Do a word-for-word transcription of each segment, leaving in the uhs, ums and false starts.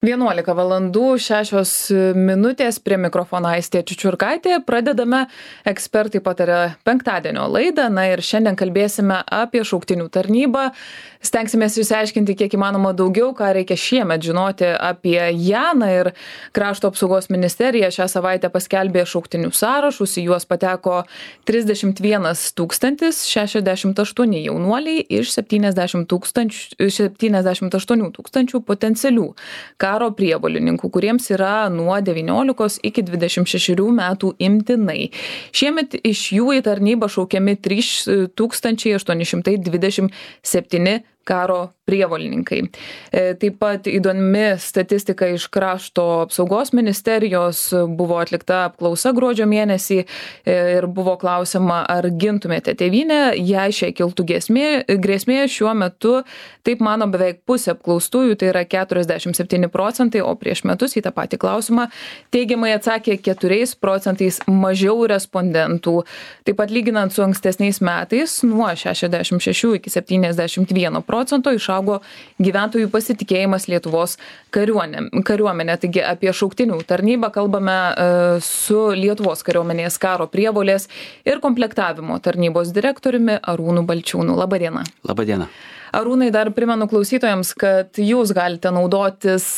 vienuolika valandų šešios minutės, prie mikrofono Aistė Čiučiurkaitė. Pradedame Ekspertai pataria penktadienio laidą. Na ir šiandien kalbėsime apie šauktinių tarnybą. Stengsimės išsiaiškinti kiek įmanoma daugiau, ką reikia šiemet žinoti apie ją. Na ir Krašto apsaugos ministerija šią savaitę paskelbė šauktinių sąrašus. Į juos pateko trisdešimt vienas tūkstantis šešiasdešimt aštuoni jaunuoliai iš septyniasdešimt aštuonių tūkstančių potencialių karo prievolininkų, kuriems yra nuo devyniolikos iki dvidešimt šešerių metų imtinai. Šiemet iš jų į tarnybą šaukiami trys tūkstančiai aštuoni šimtai dvidešimt septyni karo prievolininkai. Taip pat įdomi statistika iš Krašto apsaugos ministerijos. Buvo atlikta apklausa gruodžio mėnesį ir buvo klausima, ar gintumėte tėvynę, jei šiai kiltų grėsmė, grėsmė šiuo metu, taip mano beveik pusė apklaustųjų, tai yra keturiasdešimt septyni procentai, o prieš metus į tą patį klausimą teigiamai atsakė keturiais procentais mažiau respondentų. Taip pat lyginant su ankstesniais metais, nuo šešiasdešimt šešių iki septyniasdešimt vieno procento išaugo gyventojų pasitikėjimas Lietuvos kariuomenė. Taigi apie šauktinių tarnybą kalbame su Lietuvos kariuomenės karo prievolės ir komplektavimo tarnybos direktoriumi Arūnu Balčiūnu. Labadiena. Labadiena. Arūnai, dar primenu klausytojams, kad jūs galite naudotis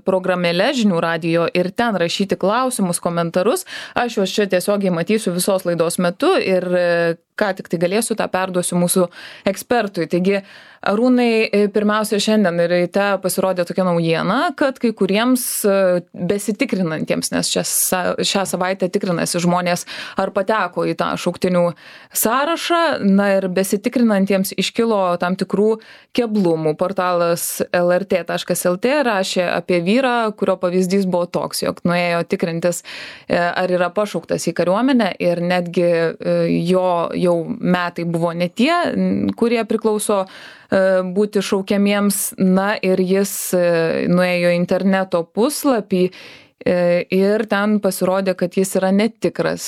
programėle Žinių radijo ir ten rašyti klausimus, komentarus. Aš juos čia tiesiogiai matysiu visos laidos metu ir ką tik tai galėsiu, tą perduosiu mūsų ekspertui. Taigi, Arūnai, pirmiausia, šiandien ryte pasirodė tokia naujiena, kad kai kuriems besitikrinantiems, nes čia šią savaitę tikrinasi žmonės, ar pateko į tą šauktinių sąrašą, na ir besitikrinantiems iškilo tam tikrų keblumų. Portalas L R T taškas L T rašė apie vyrą, kurio pavyzdys buvo toks, jog nuėjo tikrintis, ar yra pašauktas į kariuomenę ir netgi jo jau metai buvo ne tie, kurie priklauso būti šaukiamiems. Na ir jis nuėjo interneto puslapį ir ten pasirodė, kad jis yra netikras.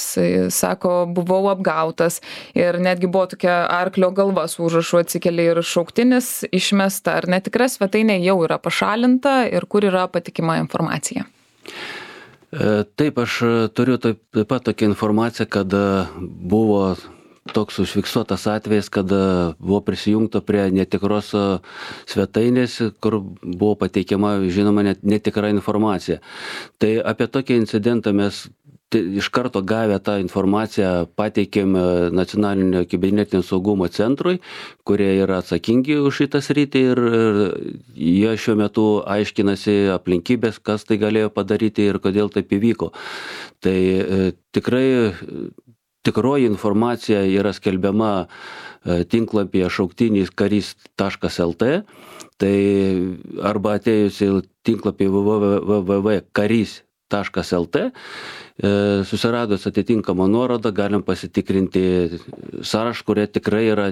Sako, buvau apgautas ir netgi buvo tokia arklio galva su užrašu atsikeli ir šauktinis išmesta. Ar netikra svetainė jau yra pašalinta ir kur yra patikima informacija? Taip, aš turiu taip, taip pat tokią informaciją, kad buvo toks užfiksuotas atvejis, kad buvo prisijungta prie netikros svetainės, kur buvo pateikiama, žinoma, netikra informacija. Tai apie tokį incidentą mes iš karto gavę tą informaciją pateikėm Nacionalinio kibernetinio saugumo centrui, kurie yra atsakingi už šitą sritį ir jie šiuo metu aiškinasi aplinkybės, kas tai galėjo padaryti ir kodėl taip įvyko. Tai tikrai tikroji informacija yra skelbiama tinklapyje šauktinis karys taškas L T, tai arba atėjus į tinklapį w w w taškas karys taškas L T, susiradus atitinkamą nuorodą galim pasitikrinti sąrašą, kurie tikrai yra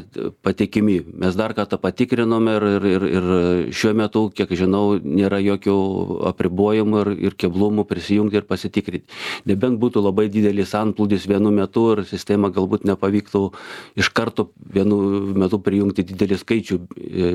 patikimi. Mes dar kartą patikrinom ir, ir, ir šiuo metu, kiek žinau, nėra jokių apribojimų ir, ir keblumų prisijungti ir pasitikrinti. Nebent būtų labai didelis antplūdis vienu metu ir sistema galbūt nepavyktų iš karto vienu metu prijungti didelį skaičių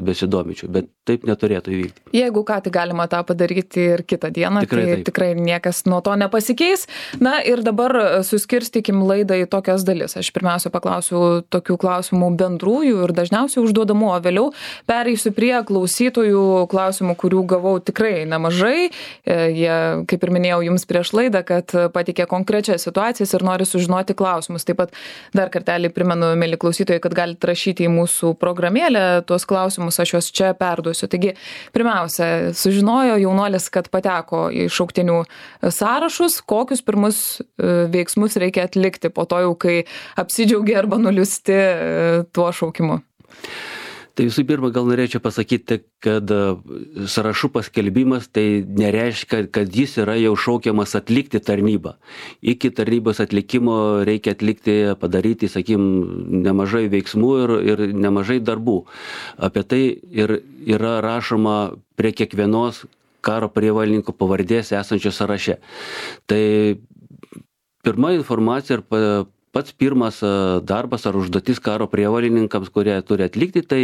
besidomičių, bet taip neturėtų įvykti. Jeigu ką, tai galima tą padaryti ir kitą dieną, tikrai, tai taip. Tikrai niekas nuo to nepasikeis. Na ir dabar suskirstykim laidą į tokias dalis. Aš pirmiausia paklausiu tokių klausimų bendrųjų ir dažniausiai užduodamų, o vėliau pereisiu prie klausytojų klausimų, kurių gavau tikrai nemažai. Jie, kaip ir minėjau jums prieš laidą, kad pateikė konkrečias situacijas ir nori sužinoti klausimus. Taip pat dar kartelį primenu, mėly klausytojai, kad galite rašyti į mūsų programėlę tuos klausimus, aš juos čia perduosiu. Taigi, pirmiausia, sužinojo jaunuolis, kad pateko į šauktinių sąrašus, kokius pirmus veiksmus reikia atlikti po to jau, kai apsidžiaugia arba nuliūsti tuo šaukimu. Tai visų pirma, gal norėčiau pasakyti, kad sąrašų paskelbimas tai nereiškia, kad jis yra jau šaukiamas atlikti tarnybą. Iki tarnybos atlikimo reikia atlikti, padaryti, sakykim, nemažai veiksmų ir, ir nemažai darbų. Apie tai ir yra rašoma prie kiekvienos karo prievolininkų pavardės esančio sąraše. Tai pirma informacija ir pats pirmas darbas ar užduotis karo prievolininkams, kurie turi atlikti, tai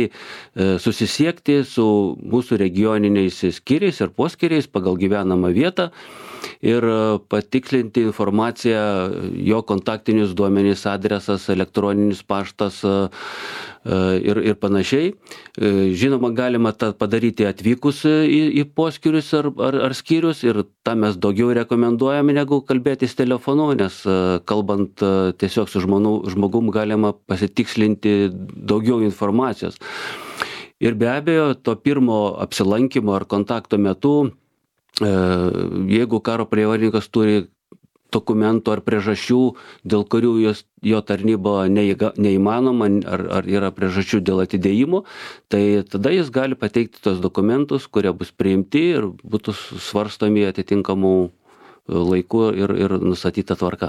susisiekti su mūsų regioniniais skyriais ir poskyriais pagal gyvenamą vietą ir patikslinti informaciją, jo kontaktinius duomenys, adresas, elektroninis paštas ir, ir panašiai. Žinoma, galima tą padaryti atvykus į, į poskyrius ar, ar, ar skyrius ir tą mes daugiau rekomenduojame negu kalbėtis telefonu, nes kalbant tiesiog su žmonu, žmogum galima pasitikslinti daugiau informacijos. Ir be abejo, to pirmo apsilankimo ar kontakto metu, jeigu karo prievolininkas turi dokumentų ar priežasčių, dėl kurių jos, jo tarnyba neįga, neįmanoma ar, ar yra priežasčių dėl atidėjimo, tai tada jis gali pateikti tos dokumentus, kurie bus priimti ir būtų svarstomi atitinkamų laiku ir, ir nustatyta tvarka.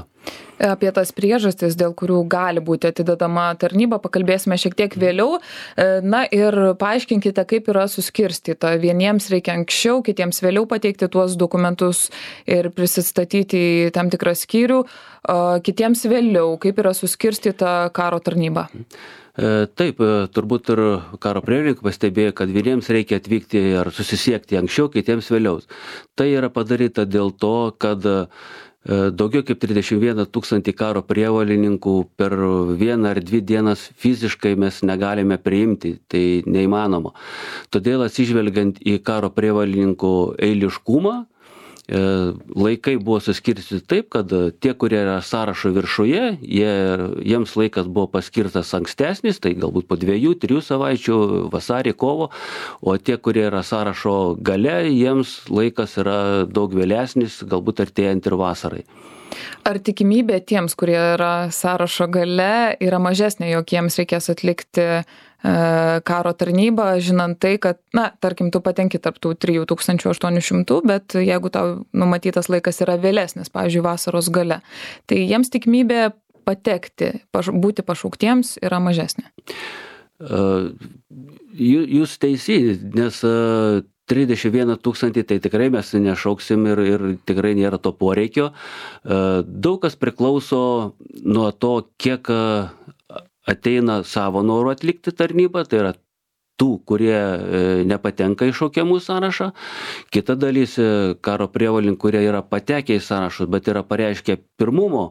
Apie tas priežastis, dėl kurių gali būti atidedama tarnyba, pakalbėsime šiek tiek vėliau. Na ir paaiškinkite, kaip yra suskirstyta. Vieniems reikia anksčiau, kitiems vėliau pateikti tuos dokumentus ir prisistatyti į tam tikrą skyrių, kitiems vėliau, kaip yra suskirstyta karo tarnyba. Taip, turbūt ir karo prievolininkai pastebėjo, kad vieniems reikia atvykti ar susisiekti anksčiau, kitiems vėliau. Tai yra padaryta dėl to, kad daugiau kaip trisdešimt vieną tūkstantį karo prievolininkų per vieną ar dvi dienas fiziškai mes negalime priimti, tai neįmanoma. Todėl atsižvelgiant į karo prievolininkų eiliškumą, laikai buvo suskirstyti taip, kad tie, kurie yra sąrašo viršuje, jie, jiems laikas buvo paskirtas ankstesnis, tai galbūt po dviejų, trijų savaičių, vasarį, kovo, o tie, kurie yra sąrašo gale, jiems laikas yra daug vėlesnis, galbūt artėjant ir vasarai. Ar tikimybė tiems, kurie yra sąrašo gale, yra mažesnė, jog jiems reikės atlikti karo tarnybą, žinant tai, kad, na, tarkim, tu patenki tarp tų trijų tūkstančių aštuonių šimtų, bet jeigu tau numatytas laikas yra vėlesnis, pavyzdžiui, vasaros gale, tai jiems tikimybė patekti, paš, būti pašauktiems yra mažesnė. Jūs teisi, nes trisdešimt vieną tūkstantį tai tikrai mes nešauksim ir, ir tikrai nėra to poreikio. Daug kas priklauso nuo to, kiek ateina savo noru atlikti tarnybą, tai yra tų, kurie nepatenka į šaukiamų sąrašą. Kita dalis karo prievolininkų, kurie yra patekę į sąrašus, bet yra pareiškę pirmumo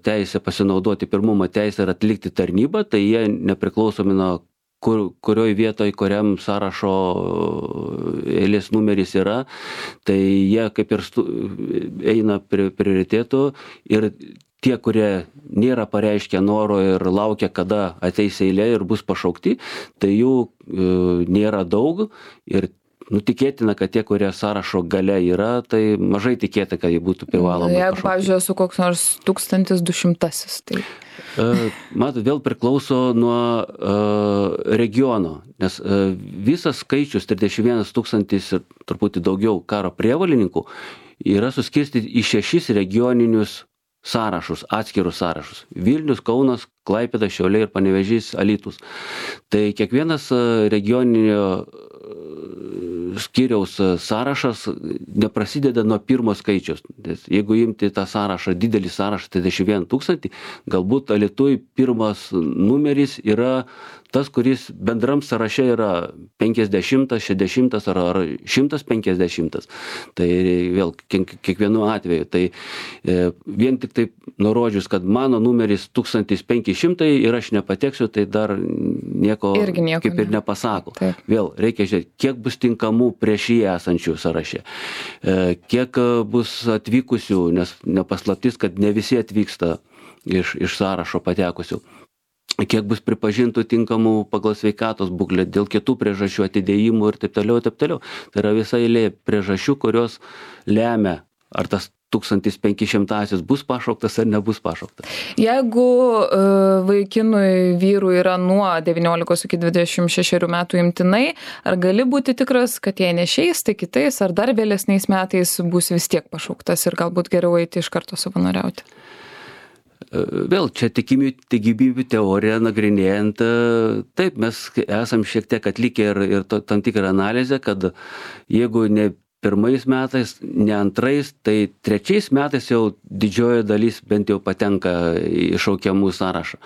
teisę, pasinaudoti pirmumo teisę ir atlikti tarnybą, tai jie nepriklausomi nuo kur, kurioj vietoj, kuriam sąrašo eilės numeris yra, tai jie kaip ir stu, eina prie prioritėtų ir tie, kurie nėra pareiškę noro ir laukia, kada ateis eilė ir bus pašaukti, tai jų e, nėra daug ir nu, tikėtina, kad tie, kurie sąrašo gale yra, tai mažai tikėta, kad jie būtų privalomai pašaukti. Jeigu, pavyzdžiui, esu koks nors tūkstantis du šimtasis, tai... E, matot, vėl priklauso nuo e, regiono, nes e, visas skaičius trisdešimt vienas tūkstantis ir truputį daugiau karo prievolininkų yra suskirstyti į šešis regioninius sąrašus, atskirus sąrašus. Vilnius, Kaunas, Klaipėda, Šiauliai ir Panevėžys, Alytus. Tai kiekvienas regioninio skyriaus sąrašas neprasideda nuo pirmo skaičiaus. Jeigu imti tą sąrašą, didelį sąrašą, trisdešimt vieną tūkstantį, galbūt Alytuj pirmas numeris yra tas, kuris bendram sąraše yra penkiasdešimtas, šešiasdešimtas ar, ar šimtas penkiasdešimtas. Tai vėl kiekvienu atveju. Tai e, vien tik taip nurodžius, kad mano numeris tūkstantis penki šimtai ir aš nepateksiu, tai dar nieko, nieko kaip ir ne. nepasako. Taip. Vėl reikia žiūrėti, kiek bus tinkamų prieš jį esančių sąraše. E, kiek bus atvykusių, nes nepaslaptis, kad ne visi atvyksta iš, iš sąrašo patekusių. Kiek bus pripažintų tinkamų pagal sveikatos būklę, dėl kitų priežasčių atidėjimų ir taip toliau, taip toliau. Tai yra visa eilė priežasčių, kurios lemia, ar tas tūkstantis penki šimtasis bus pašauktas ar nebus pašauktas. Jeigu uh, vaikinui vyrui yra nuo devyniolikos iki dvidešimt šešerių metų imtinai, ar gali būti tikras, kad jei nešiais, tai kitais ar dar vėlesniais metais bus vis tiek pašauktas ir galbūt geriau eiti iš karto savanoriauti? Vėl čia tikimybių teoriją nagrinėjant, taip, mes esam šiek tiek atlikę ir, ir to, tam tikrą analizę, kad jeigu ne pirmais metais, ne antrais, tai trečiais metais jau didžioji dalis bent jau patenka į šaukiamų sąrašą.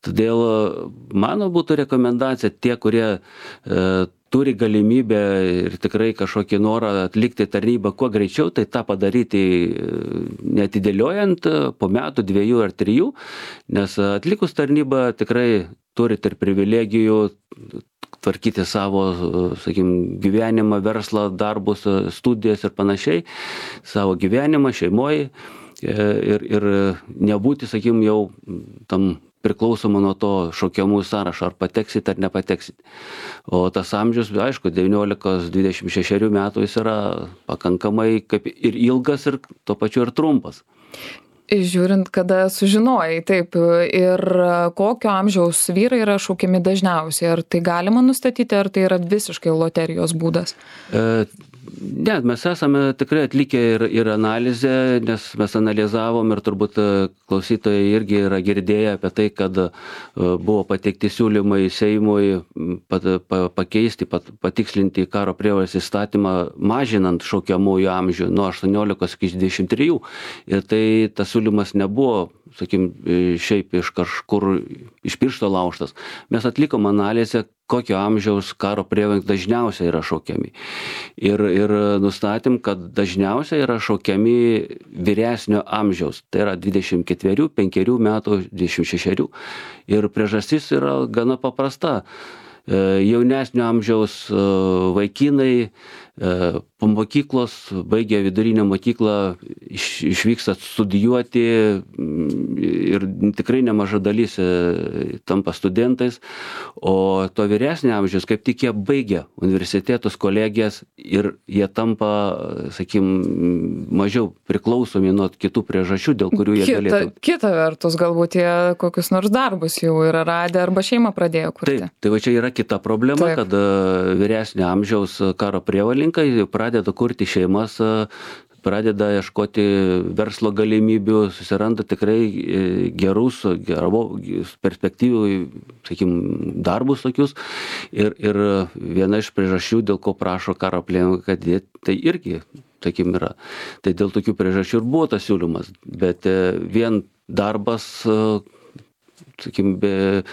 Todėl mano būtų rekomendacija tie, kurie e, turi galimybę ir tikrai kažkokį norą atlikti tarnybą kuo greičiau, tai tą padaryti neatidėliojant po metų, dviejų ar trijų, nes atlikus tarnybą tikrai turite ir privilegijų tvarkyti savo, sakykim, gyvenimą, verslą, darbus, studijas ir panašiai, savo gyvenimą, šeimoje ir, ir nebūti, sakykim, jau tam priklausoma nuo to šaukiamų sąrašo, ar pateksit ar nepateksit. O tas amžius, aišku, devyniolika dvidešimt šeši metų jis yra pakankamai kaip ir ilgas ir tuo pačiu ir trumpas. Žiūrint, kada sužinojai, taip, ir kokio amžiaus vyrai yra šaukiami dažniausiai, ar tai galima nustatyti, ar tai yra visiškai loterijos būdas? E, ne, mes esame tikrai atlikę ir, ir analizę, nes mes analizavom ir turbūt klausytojai irgi yra girdėję apie tai, kad buvo pateikti siūlymai Seimui pat, pa, pakeisti, pat, patikslinti karo prievolės įstatymą, mažinant šaukiamųjų amžių nuo aštuoniolikos iki dvidešimt trijų. Ir tai tas siūlymas nebuvo, sakim, šiaip iš kažkur iš piršto laužtas. Mes atlikom analizę, kokio amžiaus karo prievolės dažniausiai yra šaukiami. Ir, ir nustatėm, kad dažniausiai yra šaukiami vyresnio amžiaus. Tai yra dvidešimt ketverių, penkerių metų, dvidešimt šešerių. Ir priežastis yra gana paprasta. Jaunesnio amžiaus vaikinai po mokyklos, baigę vidurinę mokyklą, iš, išvyksta studijuoti ir tikrai nemaža dalis tampa studentais, o to vyresnio amžiaus kaip tik jie baigia universitetus, kolegijas ir jie tampa, sakykim, mažiau priklausomi nuo kitų priežasčių, dėl kurių jie kita, galėtų. Kita vertus, galbūt jie kokius nors darbus jau yra radę arba šeimą pradėjo kurti. Taip, tai va čia yra kita problema, Taip. kad vyresnio amžiaus karo prievolininkai pradeda kurti šeimas, pradeda ieškoti verslo galimybių, susiranda tikrai gerus, gerų perspektyvų, sakykim, darbus tokius. Ir, ir viena iš priežasčių, dėl ko prašo karo prievolininkai, kad jie tai irgi, sakykim, yra. Tai dėl tokių priežasčių ir buvo tas siūlymas. Bet vien darbas, sakykim, be,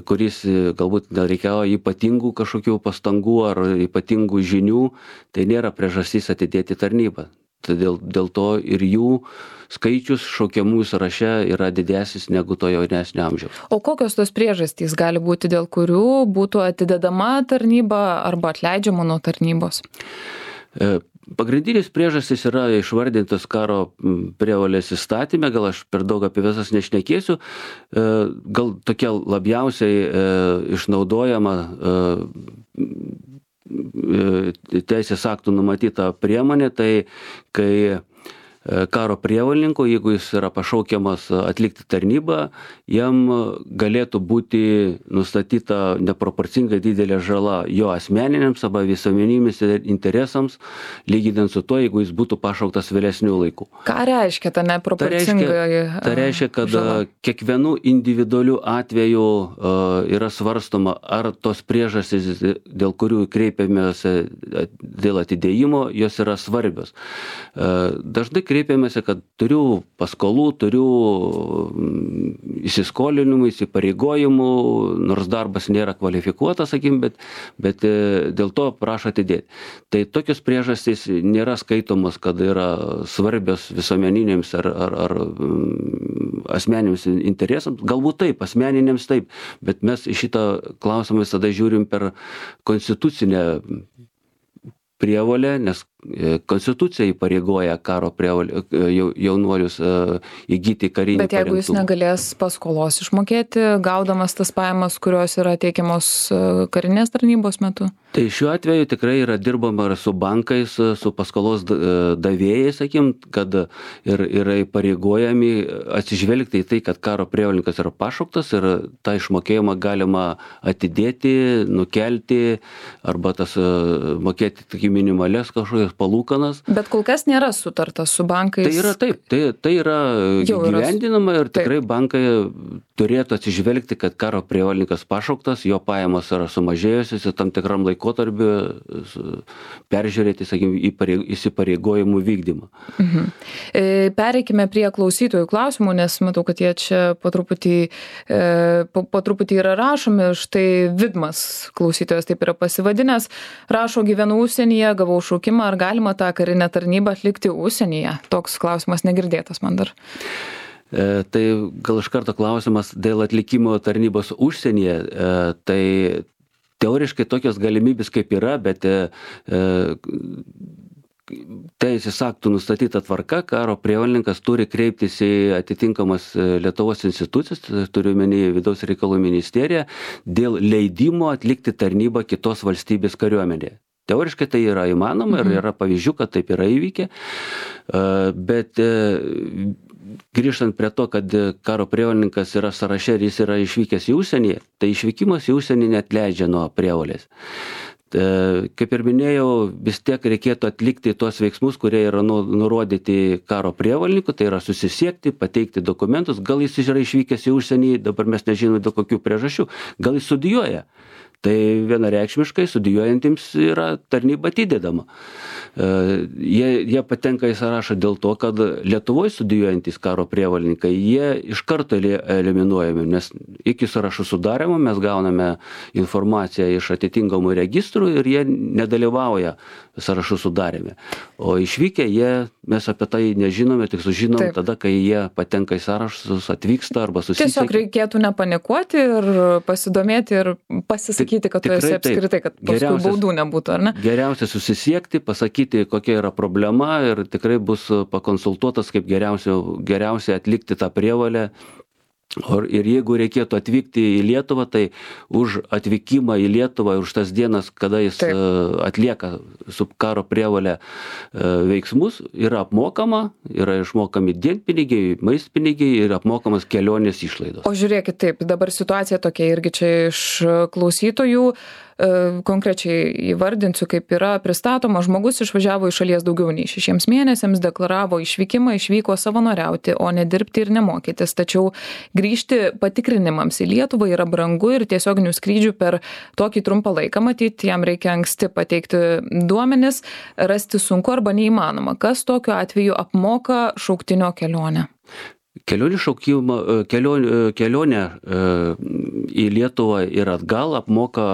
kuris galbūt reikėjo ypatingų kažkokių pastangų ar ypatingų žinių, tai nėra priežastis atidėti tarnybą. Todėl dėl to ir jų skaičius šaukiamųjų sąraše yra didesnis negu to jaunesnio amžiaus. O kokios tos priežastys gali būti, dėl kurių būtų atidedama tarnyba arba atleidžiama nuo tarnybos? Pagrindinis priežastis yra išvardintas karo prievolės įstatyme, gal aš per daug apie visas nešnekėsiu, gal tokia labiausiai išnaudojama teisės aktų numatyta priemonė, tai kai karo prievolininko, jeigu jis yra pašaukiamas atlikti tarnybą, jam galėtų būti nustatyta neproporcingai didelė žala jo asmeniniams arba visuomeniniams interesams, lyginant su to, jeigu jis būtų pašauktas vėlesnių laikų. Ką reiškia ta neproporcinga žala? Tai reiškia, tai reiškia kad žala. Kiekvienų individualių atvejų yra svarstoma, ar tos priežastys, dėl kurių kreipiamės dėl atidėjimo, jos yra svarbios. Dažnai kreipiamės, kad turiu paskolų, turiu įsiskolinimų, įsipareigojimų, nors darbas nėra kvalifikuotas, sakykim, bet, bet dėl to prašo atidėti. Tai tokios priežastys nėra skaitomos, kad yra svarbios visuomeniniams ar, ar, ar asmeniniams interesams. Galbūt taip, asmeniniams taip, bet mes į šitą klausimą visada žiūrim per konstitucinę prievolę, nes konstitucija įpareigoja karo prievolę jaunuolius įgyti karinį Bet jeigu parengtumą. jis negalės paskolos išmokėti, gaudamas tas pajamas, kurios yra teikiamos karinės tarnybos metu? Tai šiuo atveju tikrai yra dirbama ir su bankais, su paskolos davėjais, sakykim, kad ir yra įpareigojami atsižvelgti į tai, kad karo prievolininkas yra pašauktas ir tą išmokėjimą galima atidėti, nukelti arba tas mokėti tik minimalias kažkokias tokias palūkanas. Bet kol kas nėra sutarta su bankais. Tai yra taip, tai, tai yra gyvendinama ir tikrai taip. bankai turėtų atsižvelgti, kad karo prievolininkas pašauktas, jo pajamos yra sumažėjusios ir tam tikram laikotarpiu peržiūrėti, sakykime, įsipareigojimų vykdymą. Mhm. Pereikime prie klausytojų klausimų, nes matau, kad jie čia po truputį, po, po truputį yra rašomi. Štai Vidmas klausytojas taip yra pasivadinęs. Rašo, gyvenu užsienyje, gavau šaukimą, ar galima tą karinę tarnybą atlikti užsienyje? Toks klausimas negirdėtas man dar. E, tai gal iš karto klausimas dėl atlikimo tarnybos užsienyje. E, tai teoriškai tokios galimybės kaip yra, bet e, teisės aktų nustatyta tvarka, karo prievolininkas turi kreiptis į atitinkamas Lietuvos institucijas, turiu omeny Vidaus reikalų ministeriją, dėl leidimo atlikti tarnybą kitos valstybės kariuomenėje. Teoriškai tai yra įmanoma ir yra pavyzdžių, kad taip yra įvykę, bet grįžtant prie to, kad karo prievolininkas yra sąraše ir jis yra išvykęs į užsienį, tai išvykimas į užsienį neatleidžia nuo prievolės. Kaip ir minėjau, vis tiek reikėtų atlikti tuos veiksmus, kurie yra nurodyti karo prievolininkų, tai yra susisiekti, pateikti dokumentus, gal jis yra išvykęs į užsienį, dabar mes nežinome dėl kokių priežasčių, gal jis studijuoja. Tai vienareikšmiškai studijuojantiems yra tarnyba atidedama. Jie, jie patenka į sąrašą dėl to, kad Lietuvoje studijuojantys karo prievolininkai, jie iš karto eliminuojami, nes iki sąrašų sudarimo mes gauname informaciją iš atitinkamų registrų ir jie nedalyvauja sąrašų sudarime. O išvykę jie, mes apie tai nežinome, tik sužinom Taip. tada, kai jie patenka į sąrašus, atvyksta arba susisiekia. Tiesiog reikėtų nepanikuoti ir pasidomėti ir pasisakyti, kad tu esi apskritai, kad paskui baudų nebūtų, ar ne? Geriausia susisiekti, pasakyti, kokia yra problema ir tikrai bus pakonsultuotas, kaip geriausia, geriausia atlikti tą prievolę. Ir jeigu reikėtų atvykti į Lietuvą, tai už atvykimą į Lietuvą, už tas dienas, kada jis Taip. atlieka su karo prievolė veiksmus, yra apmokama, yra išmokami dienpinigiai, maistpinigiai ir apmokamas kelionės išlaidos. O žiūrėkit, taip, dabar situacija tokia irgi čia iš klausytojų. Konkrečiai įvardinsiu, kaip yra pristatoma. Žmogus išvažiavo iš šalies daugiau nei šešiems mėnesiams, deklaravo išvykimą, išvyko savanoriauti, o ne dirbti ir nemokytis. Tačiau grįžti patikrinimams į Lietuvą yra brangu ir tiesioginių skrydžių per tokį trumpą laiką, matyti, jam reikia anksti pateikti duomenis, rasti sunku arba neįmanoma. Kas tokiu atveju apmoka šauktinio kelionę? Kelionė šaukimą, kelionė, kelionė į Lietuvą ir atgal apmoka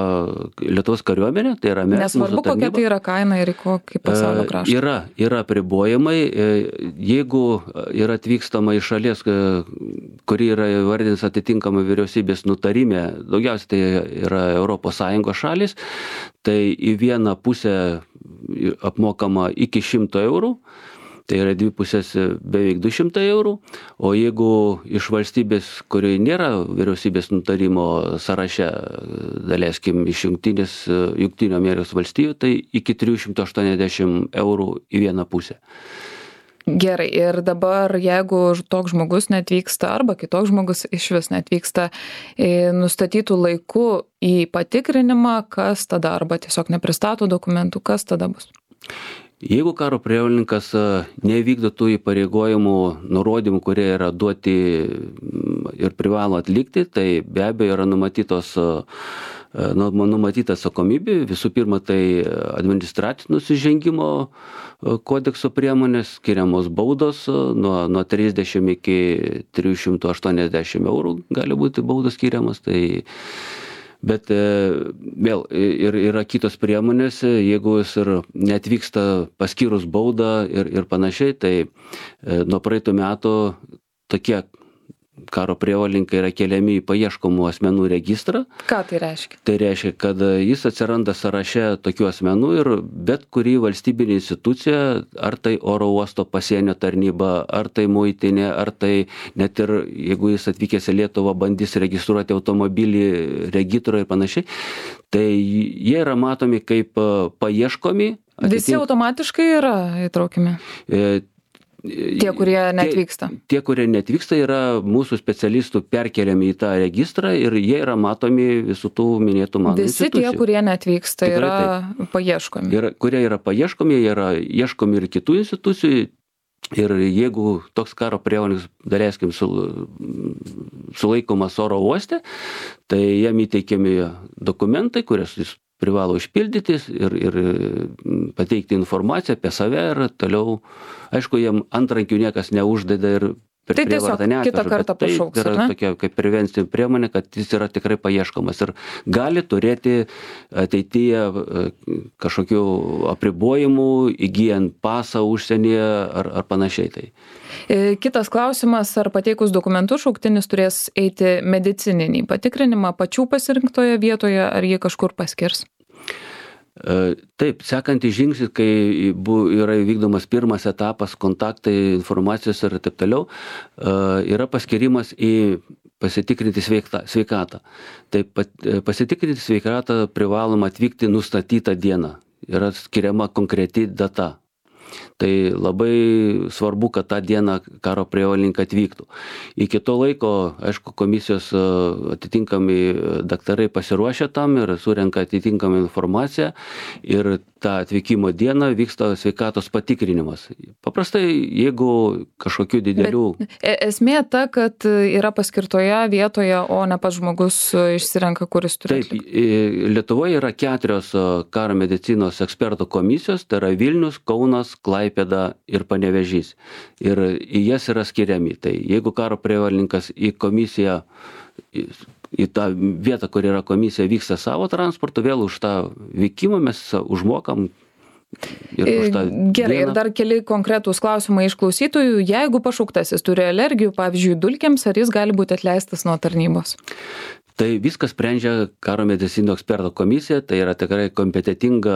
Lietuvos kariuomenė, tai yra mes. Nesvarbu, kokia tai yra kaina ir į kokį pasaulio kraštą. Yra, yra apribojimai. Jeigu yra atvykstama iš šalies, kuri yra įvardinta atitinkama vyriausybės nutarime, daugiausiai tai yra Europos Sąjungos šalis, tai į vieną pusę apmokama iki šimto eurų. Tai yra dvi pusės beveik du šimtai eurų, o jeigu iš valstybės, kurioje nėra vyriausybės nutarimo sąraše, daleiskim, iš jungtinės, Jungtinių Amerikos valstijų, tai iki trijų šimtų aštuoniasdešimt eurų į vieną pusę. Gerai, ir dabar jeigu toks žmogus neatvyksta arba kitoks žmogus iš vis neatvyksta nustatytų laiku į patikrinimą, kas tada, arba tiesiog nepristato dokumentų, kas tada bus? Jeigu karo prievolininkas nevykdo tų įpareigojimų, nurodymų, kurie yra duoti ir privalo atlikti, tai be abejo yra numatytos, numatyta atsakomybė. Visų pirma, tai administracinio nusižengimo kodekso priemonės, skiriamos baudos nuo, nuo trisdešimt iki trijų šimtų aštuoniasdešimt eurų gali būti baudos skiriamas. Tai Bet vėl ir yra kitos priemonės, jeigu jis ir neatvyksta paskyrus baudą ir, ir panašiai, tai nuo praeitų metų tokie karo prievolininkai yra keliami į paieškomų asmenų registrą. Ką tai reiškia? Tai reiškia, kad jis atsiranda sąraše tokių asmenų ir bet kuri valstybinė institucija, ar tai oro uosto pasienio tarnyba, ar tai muitinė, ar tai net ir jeigu jis atvykęs į Lietuvą bandys registruoti automobilį regitroje ir panašiai, tai jie yra matomi kaip paieškomi. Visi atitinka... automatiškai yra įtraukiami? E, Tie, kurie neatvyksta. Tie, tie, kurie neatvyksta, yra mūsų specialistų perkeliami į tą registrą ir jie yra matomi visų tų minėtų mano Visi institucijų. Tie, kurie neatvyksta, Tikrai yra taip. paieškomi. Yra, kurie yra paieškomi, yra ieškomi ir kitų institucijų. Ir jeigu toks karo prievolis, daleiskim, sulaikomas oro uoste, tai jam įteikiami dokumentai, kurias jis privalo užpildyti ir, ir pateikti informaciją apie save ir toliau, aišku, jam antrankių niekas neuždeda ir per tai tiesiog kitą kartą pašauks, tai yra tokia kaip prevencinė priemonė, kad jis yra tikrai paieškomas ir gali turėti ateityje kažkokių apribojimų, įgyjant pasą užsienyje ar, ar panašiai. Tai. Kitas klausimas, ar pateikus dokumentus šauktinis turės eiti medicininį patikrinimą pačių pasirinktoje vietoje, ar jį kažkur paskirs? Taip, sekantį žingsnį, kai yra vykdomas pirmas etapas, kontaktai, informacijos ir taip toliau, yra paskirimas į pasitikrinti sveikatą. Taip, pasitikrinti sveikatą privaloma atvykti nustatytą dieną. Yra skiriama konkreti data. Tai labai svarbu, kad tą dieną karo prievolininkai atvyktų. Iki to laiko, aišku, komisijos atitinkami daktarai pasiruošia tam ir surenka atitinkamą informaciją ir tą atvykimo dieną vyksta sveikatos patikrinimas. Paprastai, jeigu kažkokių didelių... Bet esmė ta, kad yra paskirtoje vietoje, o ne pats žmogus išsirenka, kuris turi atlikti. Taip, Lietuvoje yra keturios karo medicinos ekspertų komisijos, tai yra Vilnius, Kaunas, Klaipėda ir Panevėžys. Ir į jas yra skiriami. Tai jeigu karo prievolininkas į komisiją, į, į tą vietą, kur yra komisija, vyksta savo transportu, vėl už tą vykimą mes užmokam. Ir už tą Gerai, dieną. Ir dar keli konkretūs klausimai iš klausytojų. Jeigu pašauktasis turi alergijų, pavyzdžiui, dulkėms, ar jis gali būti atleistas nuo tarnybos? Tai viskas sprendžia karo medicinos ekspertų komisija, tai yra tikrai kompetitinga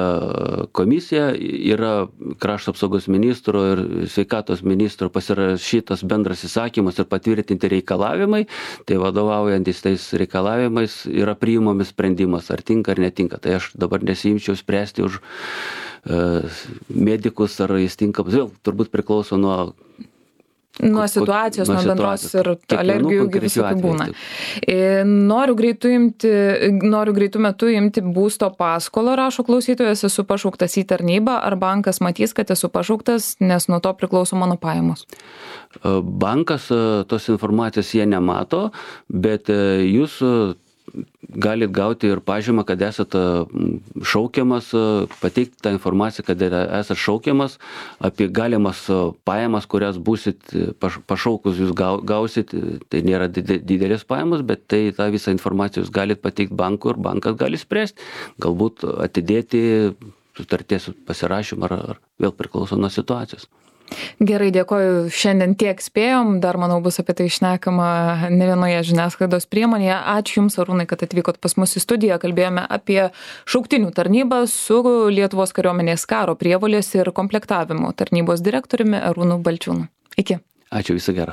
komisija, yra krašto apsaugos ministro ir sveikatos ministro pasirašytas bendras įsakymas ir patvirtinti reikalavimai, tai vadovaujantis tais reikalavimais yra priimami sprendimas, ar tinka ar netinka. Tai aš dabar nesiimčiau spręsti už uh, medikus, ar jis tinkamas, vėl turbūt priklauso nuo Nuo situacijos, nuo, nuo bendros ir alergijų visokių būna. Noriu greitų, imti, noriu greitų metų imti būsto paskolą, rašo klausytojas, esu pašauktas į tarnybą, ar bankas matys, kad esu pašauktas, nes nuo to priklauso mano pajamos? Bankas tos informacijos jie nemato, bet jūs galit gauti ir pažymą, kad esate šaukiamas, pateikti tą informaciją, kad esate šaukiamas, apie galimas pajamas, kurias būsit pašaukus jūs gausit, tai nėra didelės pajamos, bet tai tą visą informaciją jūs galit pateikti bankui ir bankas gali spręsti, galbūt atidėti sutarties pasirašymą, ar, ar vėl priklauso nuo situacijos. Gerai, dėkoju. Šiandien tiek spėjom, dar manau bus apie tai šnekama ne vienoje žiniasklaidos priemonėje. Ačiū Jums, Arūnai, kad atvykot pas mus į studiją. Kalbėjome apie šauktinių tarnybą su Lietuvos kariuomenės karo prievolės ir komplektavimo tarnybos direktoriumi Arūnu Balčiūnu. Iki. Ačiū, viso gero.